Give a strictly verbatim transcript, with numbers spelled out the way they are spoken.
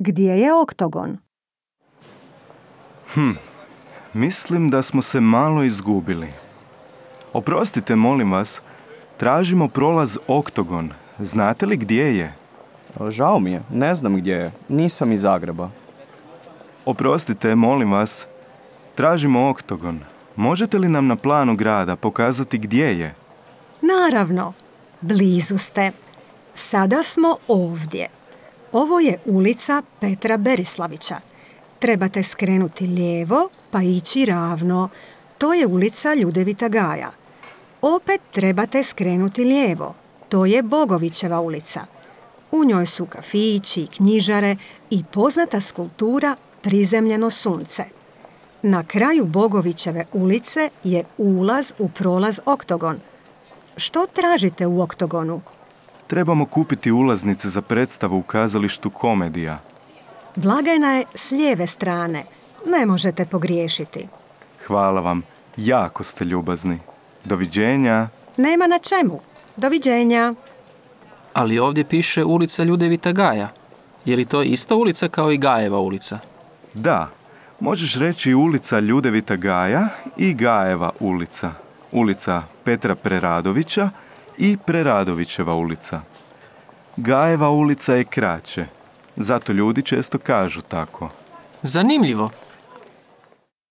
Gdje je oktogon? Hm, mislim da smo se malo izgubili. Oprostite, molim vas, tražimo prolaz oktogon. Znate li gdje je? Žao mi je, ne znam gdje je. Nisam iz Zagreba. Oprostite, molim vas, tražimo oktogon. Možete li nam na planu grada pokazati gdje je? Naravno, blizu ste. Sada smo ovdje. Ovo je ulica Petra Berislavića. Trebate skrenuti lijevo pa ići ravno. To je ulica Ljudevita Gaja. Opet trebate skrenuti lijevo. To je Bogovićeva ulica. U njoj su kafići, knjižare i poznata skulptura Prizemljeno sunce. Na kraju Bogovićeve ulice je ulaz u prolaz oktogon. Što tražite u oktogonu? Trebamo kupiti ulaznice za predstavu u kazalištu Komedija. Blagajna je s lijeve strane. Ne možete pogriješiti. Hvala vam, jako ste ljubazni. Doviđenja. Nema na čemu. Doviđenja. Ali ovdje piše ulica Ljudevita Gaja. Je li to ista ulica kao i Gajeva ulica? Da, možeš reći ulica Ljudevita Gaja i Gajeva ulica. Ulica Petra Preradovića i Preradovićeva ulica. Gajeva ulica je kraće, zato ljudi često kažu tako. Zanimljivo.